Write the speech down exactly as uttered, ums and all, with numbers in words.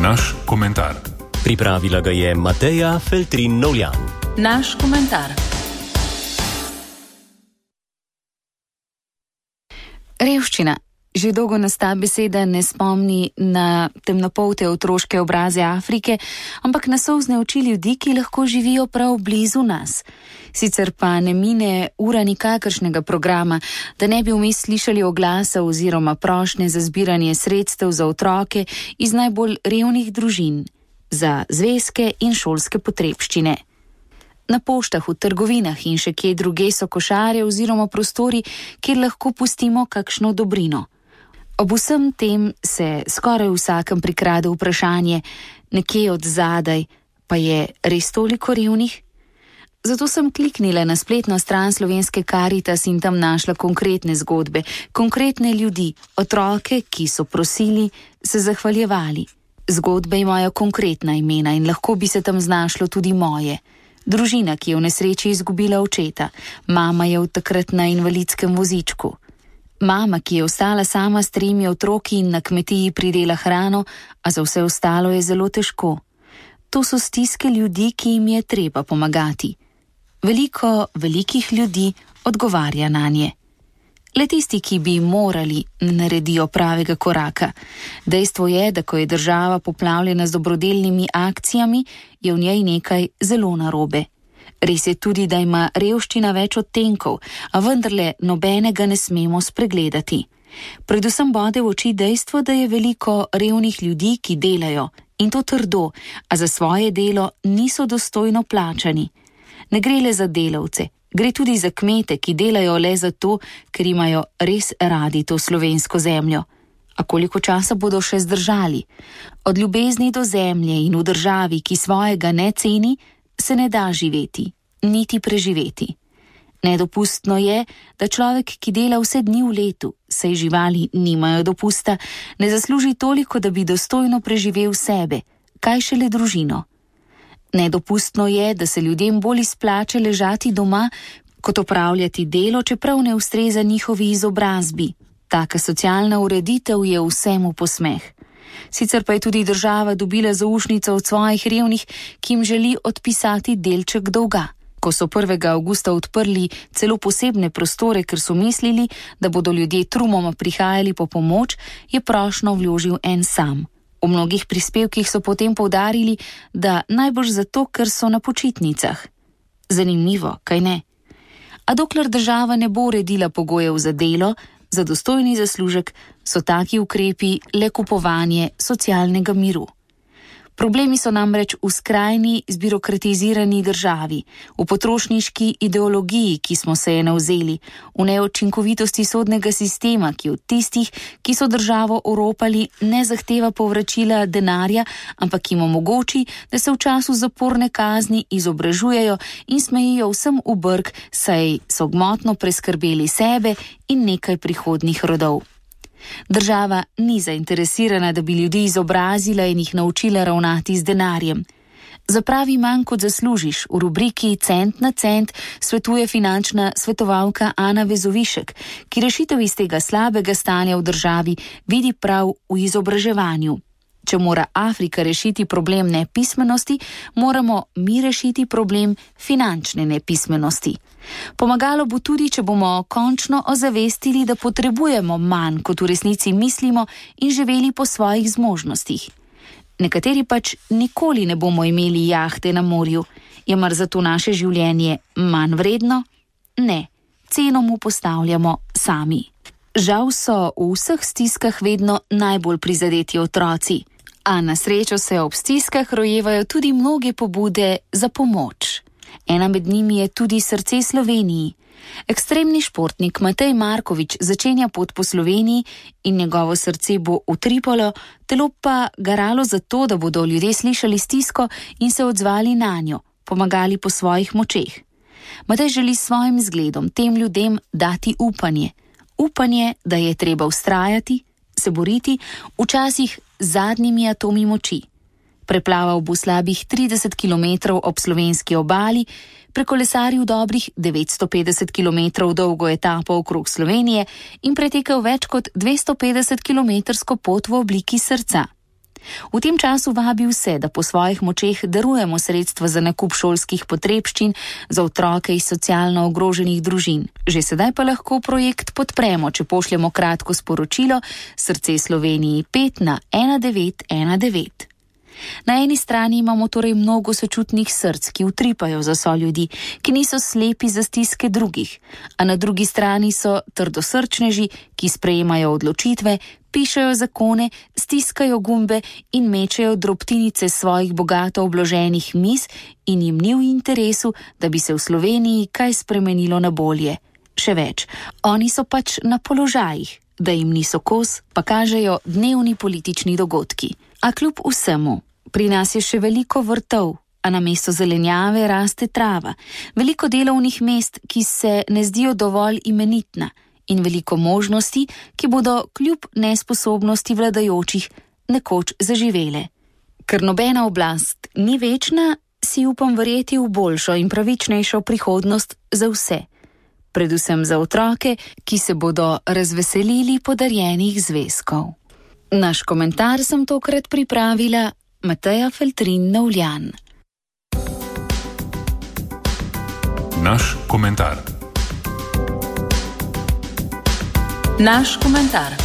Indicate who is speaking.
Speaker 1: Naš komentar.
Speaker 2: Pripravila ga je Mateja Feltrin Novljan.
Speaker 3: Naš komentar. Revščina. Že dolgo nas ta beseda ne spomni na temnopolte otroške obraze Afrike, ampak na solzne oči ljudi, ki lahko živijo prav blizu nas. Sicer pa ne mine ura nikakršnega programa, da ne bi vmes slišali oglasa oziroma prošnje za zbiranje sredstev za otroke iz najbolj revnih družin, za zvezke in šolske potrebščine. Na poštah, v trgovinah in še kje druge so košare oziroma prostori, kjer lahko pustimo kakšno dobrino. Ob vsem tem se skoraj vsakem prikrade vprašanje, nekje od zadaj, pa je res toliko revnih? Zato sem kliknila na spletno stran Slovenske Karitas in tam našla konkretne zgodbe, konkretne ljudi, otroke, ki so prosili, se zahvaljevali. Zgodbe imajo konkretna imena in lahko bi se tam znašlo tudi moje. Družina, ki je v nesreči izgubila očeta, mama je v takrat na invalidskem vozičku. Mama, ki je ostala sama s tremi otroki in na kmetiji pridela hrano, a za vse ostalo je zelo težko. To so stiske ljudi, ki jim je treba pomagati. Veliko velikih ljudi odgovarja nanje. Le tisti, ki bi morali, ne naredijo pravega koraka. Dejstvo je, da ko je država poplavljena z dobrodelnimi akcijami, je v njej nekaj zelo narobe. Res je tudi, da ima revščina več odtenkov, a vendarle nobenega ne smemo spregledati. Predvsem bode v oči dejstvo, da je veliko revnih ljudi, ki delajo, in to trdo, a za svoje delo niso dostojno plačani. Ne gre le za delavce, gre tudi za kmete, ki delajo le zato, ker imajo res radi to slovensko zemljo. A koliko časa bodo še zdržali? Od ljubezni do zemlje in v državi, ki svojega ne ceni, se ne da živeti, niti preživeti. Nedopustno je, da človek, ki dela vse dni v letu, saj živali nimajo dopusta, ne zasluži toliko, da bi dostojno preživel sebe, kaj šele družino. Nedopustno je, da se ljudem bolj izplača ležati doma, kot opravljati delo, čeprav ne ustreza njihovi izobrazbi. Taka socialna ureditev je vsemu posmeh. Sicer pa je tudi država dobila zaušnico od svojih revnih, ki jim želi odpisati delček dolga. Ko so prvega avgusta odprli celo posebne prostore, ker so mislili, da bodo ljudje trumoma prihajali po pomoč, je prošnjo vložil en sam. V mnogih prispevkih so potem poudarili, da najbrž zato, ker so na počitnicah. Zanimivo, kaj ne? A dokler država ne bo uredila pogojev za delo, za dostojni zaslužek, so taki ukrepi le kupovanje socialnega miru. Problemi so namreč v skrajni zbirokratizirani državi, v potrošniški ideologiji, ki smo se je navzeli, v neučinkovitosti sodnega sistema, ki od tistih, ki so državo oropali, ne zahteva povračila denarja, ampak jim omogoči, da se v času zaporne kazni izobražujejo in smejijo vsem v brk, saj so gmotno preskrbeli sebe in nekaj prihodnjih rodov. Država ni zainteresirana, da bi ljudi izobrazila in jih naučila ravnati z denarjem. Za pravi manj kot zaslužiš, v rubriki Cent na cent svetuje finančna svetovalka Ana Vezovišek, ki rešitev iz tega slabega stanja v državi vidi prav v izobraževanju. Če mora Afrika rešiti problem nepismenosti, moramo mi rešiti problem finančne nepismenosti. Pomagalo bo tudi, če bomo končno ozavestili, da potrebujemo manj, kot v resnici mislimo, in živeli po svojih zmožnostih. Nekateri pač nikoli ne bomo imeli jahte na morju. Je mar zato naše življenje manj vredno? Ne, ceno mu postavljamo sami. Žal so v vseh stiskah vedno najbolj prizadeti otroci, a na srečo se ob stiskah rojevajo tudi mnoge pobude za pomoč. Ena med njimi je tudi Srce Sloveniji. Ekstremni športnik Matej Markovič začenja pot po Sloveniji in njegovo srce bo utripalo, telo pa garalo za to, da bodo ljudje slišali stisko in se odzvali nanjo, pomagali po svojih močeh. Matej želi s svojim zgledom tem ljudem dati upanje. Upanje, da je treba vztrajati, se boriti, včasih z zadnjimi atomi moči. Preplaval bo slabih trideset kilometrov ob slovenski obali, prekolesaril dobrih devetsto petdeset kilometrov dolgo etapo okrog Slovenije in pretekel več kot dvesto petdeset kilometrsko pot v obliki srca. V tem času vabi vse, da po svojih močeh darujemo sredstva za nakup šolskih potrebščin za otroke iz socialno ogroženih družin. Že sedaj pa lahko projekt podpremo, če pošljemo kratko sporočilo Srce Sloveniji pet na ena devet ena devet. Na eni strani imamo torej mnogo sočutnih src, ki utripajo za soljudi, ki niso slepi za stiske drugih, a na drugi strani so trdosrčneži, ki sprejemajo odločitve, pišejo zakone, stiskajo gumbe in mečejo drobtinice svojih bogato obloženih miz in jim ni v interesu, da bi se v Sloveniji kaj spremenilo na bolje. Še več, oni so pač na položajih, da jim niso kos, pa kažejo dnevni politični dogodki. A kljub vsemu, pri nas je še veliko vrtov, a namesto zelenjave raste trava, veliko delovnih mest, ki se ne zdijo dovolj imenitna, in veliko možnosti, ki bodo kljub nesposobnosti vladajočih nekoč zaživele. Ker nobena oblast ni večna, si upam verjeti v boljšo in pravičnejšo prihodnost za vse. Predvsem za otroke, ki se bodo razveselili podarjenih zvezkov. Naš komentar sem tokrat pripravila Mateja Feltrin Novljan.
Speaker 1: Naš komentar.
Speaker 3: Naš komentar.